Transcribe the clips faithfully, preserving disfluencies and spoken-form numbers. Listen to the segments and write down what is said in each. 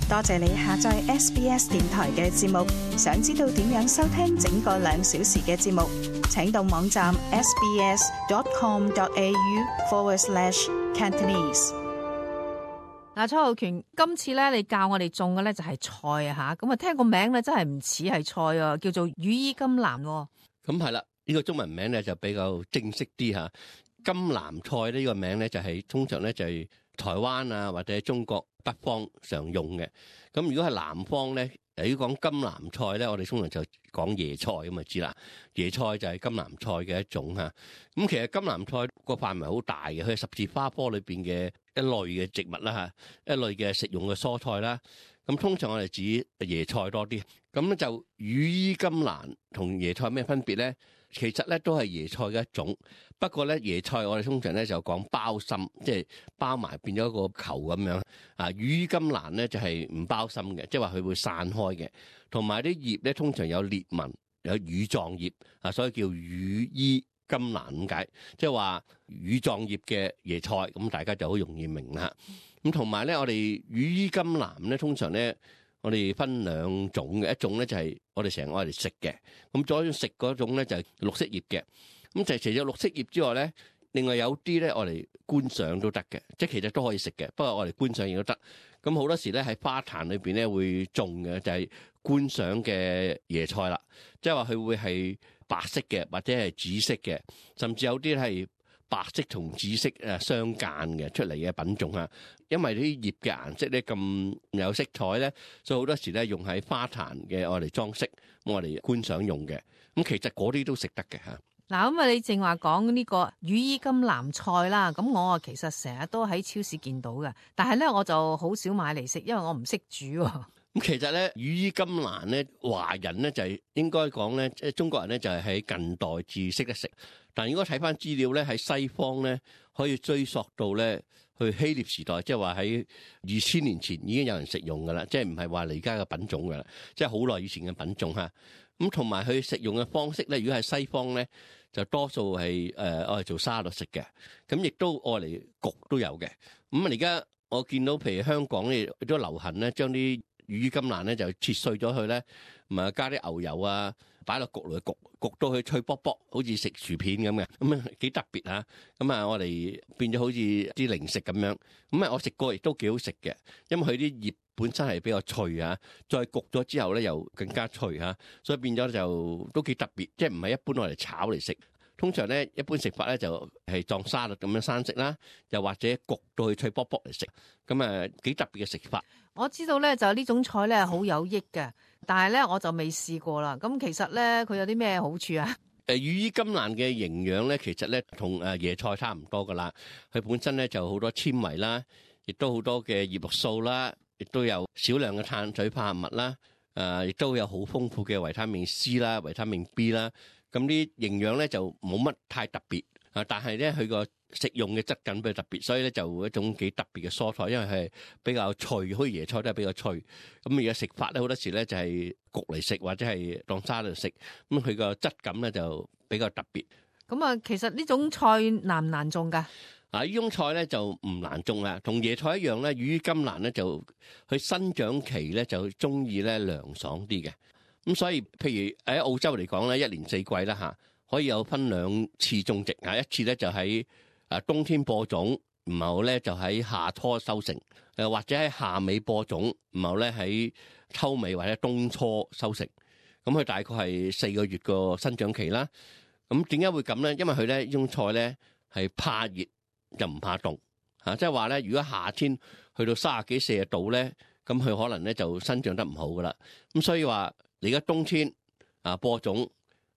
多謝你下載 S B S 電台嘅節目。想知道點樣收聽整個兩小時嘅節目，請到網站 sbs.com.au forward slash Cantonese。嗱，蔡浩權，今次咧你教我哋種嘅咧就係菜啊吓，咁啊聽個名咧真係唔似係菜啊，叫做羽衣甘藍。咁係啦，呢個中文名咧就比較正式啲吓。甘藍菜呢個名咧就係通常咧就係台灣啊或者中國北方常用嘅。咁如果係南方咧，如果講甘藍菜咧，我哋通常就講椰菜咁啊知啦。椰菜就係甘藍菜嘅一種吓。咁其實甘藍菜個範圍好大嘅，佢係十字花科裏邊嘅一類嘅植物啦吓，一類嘅食用嘅蔬菜啦。咁通常我哋指椰菜多啲。咁咧就羽衣甘藍同椰菜有咩分別咧？其實咧都係椰菜嘅一種，不過咧椰菜我哋通常咧就講包心，即係包埋變咗一個球咁樣。啊，羽衣甘藍咧就係唔包心嘅，即係話佢會散開嘅，同埋啲葉咧通常有裂紋，有羽狀葉啊，所以叫羽衣甘藍咁解，即係話羽狀葉嘅椰菜，咁大家就好容易明啦。咁同埋咧，我哋羽衣甘藍咧通常咧。我哋分兩種嘅，一種咧就係我哋成日愛嚟食嘅，咁再食嗰種咧就係綠色葉嘅。咁就除咗綠色葉之外咧，另外有啲咧我哋觀賞都得嘅，即係其實都可以食嘅，不過我哋觀賞亦都得。咁好多時咧喺花壇裏邊咧會種嘅就係觀賞嘅椰菜啦，即係話佢會係白色嘅或者係紫色嘅，甚至有啲係白色同紫色誒相間嘅出嚟嘅品種啊，因為啲葉嘅顏色咧咁有色彩咧，所以好多時咧用喺花壇嘅我哋裝飾，我哋觀賞用嘅。咁其實嗰啲都食得嘅嚇。嗱，咁啊你正話講呢個羽衣甘藍菜啦，咁我啊其實成日都喺超市見到嘅，但係咧我就好少買嚟食，因為我唔識煮喎。咁其實咧，羽衣甘藍咧，華人咧就係應該講咧，即係中國人咧就係喺近代至識得食。但如果睇翻資料咧，喺西方咧可以追溯到咧去希臘時代，即係話喺二千年前已經有人食用噶啦，即係唔係話你而家嘅品種噶啦，即係好耐以前嘅品種嚇。咁同埋佢食用嘅方式咧，如果係西方咧，就多數係誒愛嚟做沙律食嘅，咁亦都愛嚟焗都有嘅。咁啊而家我見到譬如香港咧都流行咧，將啲羽衣甘藍咧就切碎咗佢咧，咁啊加啲牛油啊，擺落焗爐焗，焗到佢脆卜卜，好似食薯片咁嘅，咁啊幾特別嚇。咁啊我哋變咗好似啲零食咁樣。咁啊我食過亦都幾好食嘅，因為佢啲葉本身係比較脆啊，再焗咗之後咧又更加脆嚇，所以變咗就都幾特別，即係唔係一般我哋炒嚟食。通常咧一般食法咧就係當沙律咁樣生食啦，又或者焗到佢脆卜卜嚟食，咁啊幾特別嘅食法。我知道咧就呢種菜咧好有益嘅，但係咧我就未試過啦。咁其實咧佢有啲咩好處啊？誒羽衣甘藍嘅營養咧，其實咧同誒椰菜差唔多噶啦。佢本身咧就好多纖維啦，亦都好多嘅葉綠素啦，亦都有少量嘅碳水化合物啦，誒亦都有好豐富嘅維他命 C 啦、維他命 B 啦。咁啲營養咧就冇乜太特別啊，但係咧佢個食用嘅質感比較特別，所以咧就一種幾特別嘅蔬菜，因為係比較脆，好似椰菜都係比較脆。咁而家食法咧好多時咧就係焗嚟食或者係當沙律食，咁佢個質感咧就比較特別。咁啊，其實呢種菜難唔難種㗎？啊，呢種菜咧就唔難種啦，同椰菜一樣咧，羽衣甘藍咧就佢生長期咧就中意咧涼爽啲嘅。咁所以，譬如喺澳洲嚟講咧，一年四季啦嚇，可以有分兩次種植嚇，一次咧就喺啊冬天播種，然後咧就喺夏初收成，誒或者喺夏尾播種，然後咧喺秋尾或者冬初收成。咁佢大概係四個月個生長期啦。咁點解會咁咧？因為佢咧呢種菜咧係怕熱就唔怕凍嚇，即係話咧，如果夏天去到三十幾四十度咧，咁佢可能咧就生長得唔好噶啦。咁所以話。而家冬天啊播種，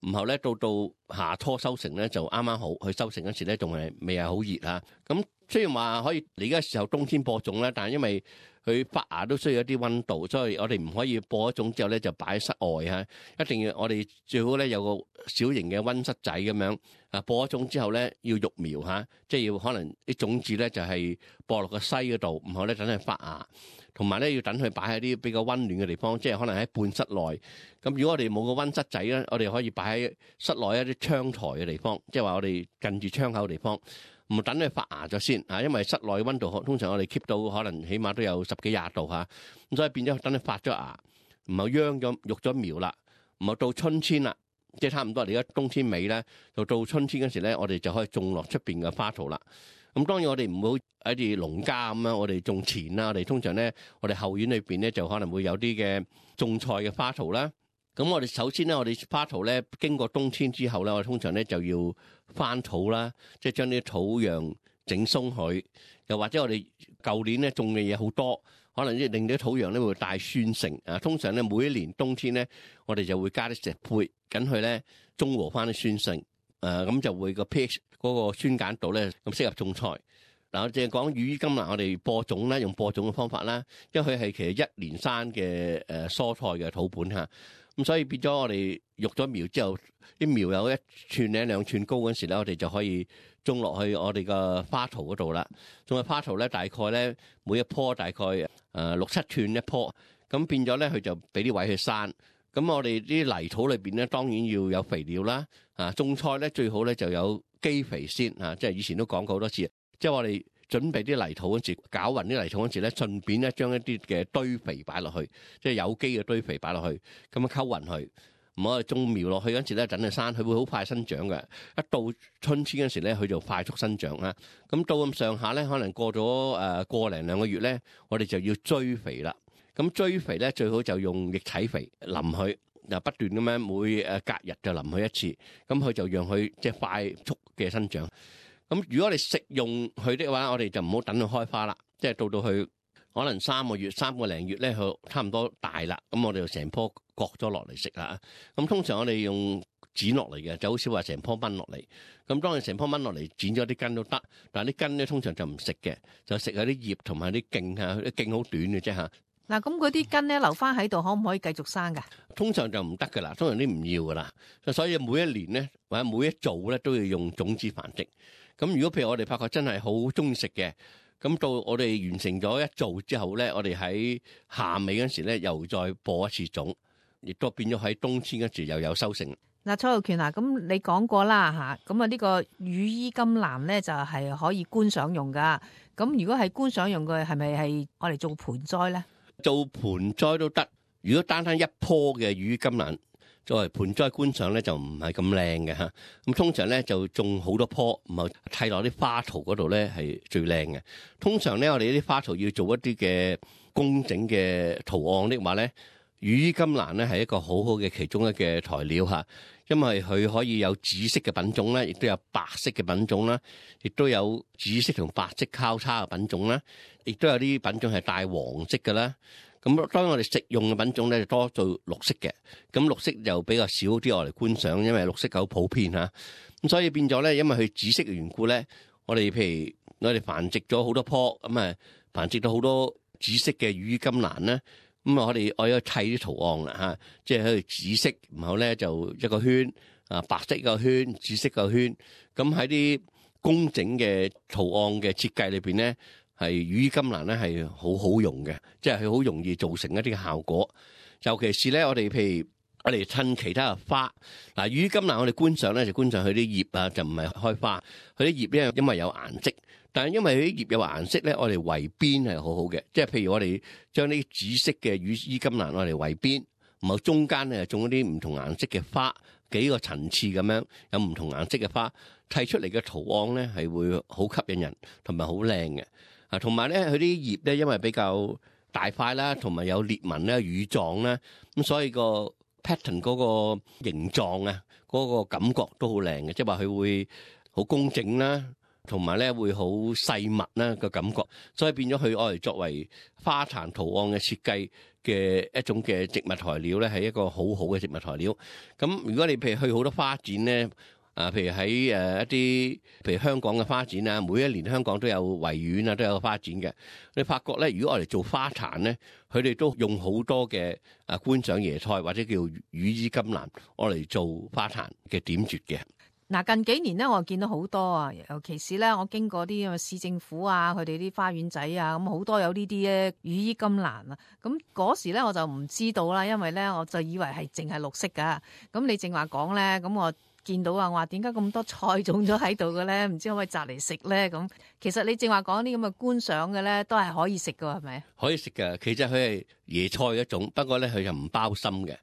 然後咧到到夏初收成咧就啱啱好，佢收成嗰時咧仲係未係好熱啊。咁雖然話可以，而家時候冬天播種咧，但係因為佢發芽都需要一啲溫度，所以我哋唔可以播咗種之後咧就擺喺室外嚇，一定要我哋最好咧有個小型嘅溫室仔咁樣啊。播咗種之後咧要育苗嚇，即係要可能啲種子咧就係播落個篩嗰度，然後咧等佢發芽。同埋咧要等佢擺喺啲比較溫暖嘅地方，即係可能喺半室內。咁如果我哋冇個溫室仔咧，我哋可以擺喺室內一啲窗台嘅地方，即係話我哋近住窗口嘅地方。唔唔等佢發芽咗先嚇，因為室內溫度通常我哋 keep 到可能起碼都有十幾廿度嚇，咁所以變咗等佢發咗芽，唔係秧咗育咗苗啦，唔係到春天啦，即係差唔多。而家冬天尾咧，就到春天嗰時咧，我哋就可以種落出邊嘅花槽啦。咁當然我哋唔好喺啲農家咁樣，我哋種田啦，我哋通常咧，我哋後院裏邊咧就可能會有啲嘅種菜嘅花槽啦。咁我哋首先咧，我哋花槽咧經過冬天之後咧，我哋通常咧就要翻土啦，即係將啲土壤整鬆佢。又或者我哋舊年咧種嘅嘢好多，可能即係令到啲土壤咧會帶酸性啊。通常咧每一年冬天咧，我哋就會加啲石灰，緊去咧中和翻啲酸性。誒咁就會個 pH 嗰個酸鹼度咧咁適合種菜。嗱，我淨係講羽衣甘藍，我哋播種啦，用播種嘅方法啦，因為佢係其實一年生嘅誒蔬菜嘅土本嚇。咁所以變咗我哋育咗苗之後，啲苗有一寸零兩寸高嗰時咧，我哋就可以種落去我哋個花槽嗰度啦。種喺花槽咧，大概咧每一棵大概誒六七寸一棵，咁變咗咧佢就俾啲位去生。咁我哋啲泥土裏邊咧，當然要有肥料啦。啊，種菜咧最好咧就有基肥先啊，即係以前都講過好多次。即係我哋準備啲泥土嗰時，攪勻啲泥土嗰時咧，順便咧將一啲嘅堆肥擺落去，即係有機嘅堆肥擺落去，咁樣溝勻佢。唔好種苗落去嗰時咧，等佢生，佢會好快生長嘅。一到春天嗰時咧，佢就快速生長啊。咁到咁上下咧，可能過咗誒個零兩個月咧，我哋就要追肥啦。咁追肥咧，最好就用液體肥淋佢，又不斷咁樣每誒隔日就淋佢一次，咁佢就讓佢即係快速嘅生長。咁如果我哋食用佢的話，我哋就唔好等佢開花啦，即係到到佢可能三個月、三個零月咧，佢差唔多大啦，咁我哋就成棵割咗落嚟食啦。咁通常我哋用剪落嚟嘅，就好少話成棵掹落嚟。咁當你成棵掹落嚟，剪咗啲根都得，但係啲根咧通常就唔食嘅，就食下啲葉同埋啲莖嚇，啲莖好短嘅啫嚇。嗱，咁嗰啲根咧留翻喺度，可唔可以繼續生㗎？通常就唔得㗎啦，通常啲唔要㗎啦。所以每一年咧，或者每一造咧，都要用種子繁殖。咁如果譬如我哋發覺真係好中意食嘅，咁到我哋完成咗一造之後咧，我哋喺夏尾嗰時咧，又再播一次種，亦都變咗喺冬天嗰時又有收成。嗱，蔡浩權啊，咁你講過啦嚇，咁啊呢個羽衣甘藍咧就係可以觀賞用㗎。咁如果係觀賞用嘅，係咪係我哋做盆栽咧？做盆栽都得。如果單單一棵嘅羽衣甘藍作為盆栽觀賞咧，就唔係咁靚嘅嚇。咁通常咧就種好多棵，唔係砌落啲花槽嗰度咧係最靚嘅。通常咧我哋啲花槽要做一啲嘅工整嘅圖案的話咧，羽衣甘藍咧係一個好好嘅其中一嘅材料嚇，因為佢可以有紫色嘅品種咧，亦都有白色嘅品種啦，亦都有紫色同白色交叉嘅品種啦，亦都有啲品種係帶黃色嘅啦。咁當然我哋食用嘅品種咧就多做綠色嘅，咁綠色就比較少啲我嚟觀賞，因為綠色好普遍嚇。咁所以變咗咧，因為佢紫色嘅緣故咧，我哋譬如我哋繁殖咗好多棵，咁啊繁殖到好多紫色嘅羽衣甘藍咧，咁啊我哋我要砌啲圖案啦嚇，即係喺度紫色，然後咧就一個圈啊，白色一個圈，紫色個圈，咁喺啲工整嘅圖案嘅設計裏邊咧。係羽衣甘藍咧係好好用嘅，即係佢好容易造成一啲嘅效果。尤其是咧，我哋譬如我哋襯其他嘅花，嗱羽衣甘藍我哋觀賞咧就觀賞佢啲葉啊，就唔係開花。佢啲葉咧因為有顏色，但係因為佢啲葉有顏色咧，我哋圍邊係好好嘅。即係譬如我哋將啲紫色嘅羽衣甘藍我哋圍邊，然後中間咧種一啲唔同顏色嘅花，幾個層次咁樣有唔同顏色嘅花，砌出嚟嘅圖案咧係會好吸引人，同埋好靚嘅。啊，同埋咧，佢啲葉咧，因為比較大塊啦，同埋有裂紋啦、羽狀啦，咁所以個 pattern 嗰個形狀啊，嗰個感覺都好靚嘅，即係話佢會好工整啦，同埋咧會好細密啦個感覺，所以變咗佢愛嚟作為花壇圖案嘅設計嘅一種嘅植物材料咧，係一個好好嘅植物材料。咁如果你譬如去好多花展咧。啊，譬如喺誒一啲，譬如香港嘅花展啊，每一年香港都有維園啊，都有個花展嘅。你發覺咧，如果我哋做花壇咧，佢哋都用好多嘅啊觀賞椰菜或者叫羽衣甘藍，我嚟做花壇嘅點綴嘅。嗱，近幾年咧，我見到好多啊，尤其是咧，我經過啲市政府啊，佢哋啲花園仔啊，咁好多有呢啲咧羽衣甘藍啊。咁嗰時咧，我就唔知道啦，因為咧，我就以為係淨係綠色噶。咁你正話講咧，咁我見到啊，我話點解咁多菜種咗喺度嘅咧？唔知可唔可以摘嚟食咧？咁其實你正話講啲咁嘅觀賞嘅咧，都係可以食㗎，係咪？可以食㗎，其實佢係椰菜一種，不過咧佢就唔包心嘅。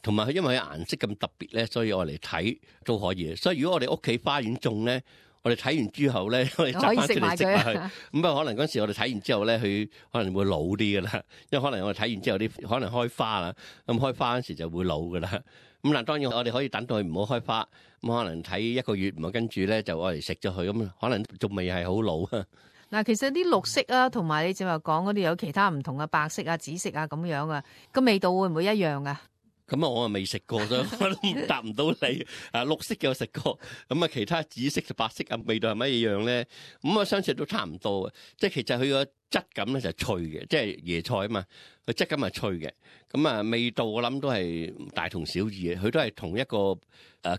同埋佢因為佢顏色咁特別咧，所以我嚟睇都可以。所以如果我哋屋企花園種咧，我哋睇完之後咧，我哋摘翻出嚟食下佢。咁不過可能嗰陣時我哋睇完之後咧，佢可能會老啲㗎啦。因為可能我哋睇完之後啲可能開花啦，咁開花嗰時就會老㗎啦。咁嗱，當然我哋可以等到佢唔好開花，咁可能睇一個月，咁跟住咧就我嚟食咗佢，咁可能仲未係好老啊。嗱，其實啲綠色啊，同埋你正話講嗰啲有其他唔同嘅白色啊、紫色啊咁樣啊，個味道會唔會一樣啊？咁啊，我啊未食過，所以我都答唔到你。啊，綠色嘅我食過，咁啊其他紫色、白色啊味道係乜嘢樣咧？咁我相信都差唔多嘅，即係其實佢個質感咧就係脆嘅，即係椰菜啊嘛，佢質感係脆嘅。咁啊味道我諗都係大同小異嘅，佢都係同一個誒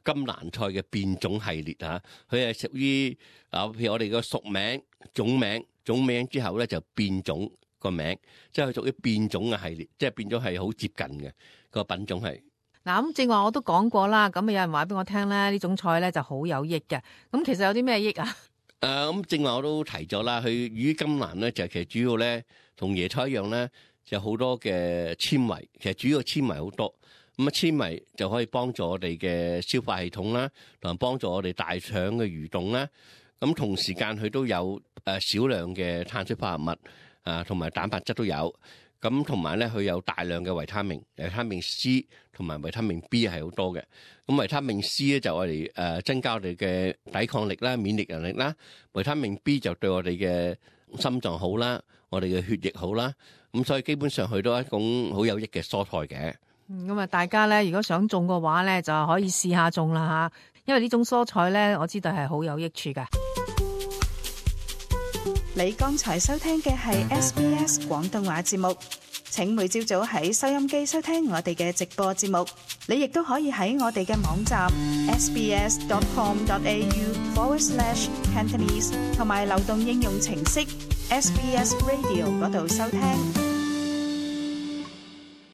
金蘭菜嘅變種系列嚇，佢係屬於啊譬如我哋個屬名、種名、種名之後咧就變種個名，即係佢屬於變種嘅系列，即係變咗係好接近嘅。個品種係嗱，咁正話我都講過啦，咁有人話俾我聽咧，呢種菜咧就好有益嘅。咁其實有啲咩益啊？誒咁正話我都提咗啦，佢羽衣甘藍咧就其實主要咧同椰菜一樣咧，就好多嘅纖維，其實主要纖維好多。咁啊纖維就可以幫助我哋嘅消化系統啦，同埋幫助我哋大腸嘅蠕動啦。咁同時間佢都有誒少量嘅碳水化合物啊，同埋蛋白質都有。咁同埋咧，佢有大量嘅維他命，維他命 C 同埋維他命 B 係好多嘅。咁維他命 C 咧就我哋誒增加我哋嘅抵抗力啦、免疫能力啦。維他命 B 就對我哋嘅心臟好啦，我哋嘅血液好啦。咁所以基本上佢都係一種好有益嘅蔬菜嘅。咁啊，大家咧如果想種嘅話咧，就可以試下種啦嚇，因為呢種蔬菜咧，我知道係好有益處㗎。你剛才收聽嘅係 S B S 廣東話節目，請每朝早喺收音機收聽我哋嘅直播節目。你亦都可以喺我哋嘅網站 sbs.com.au forward slash Cantonese 同埋流動應用程式 S B S Radio 嗰度收聽。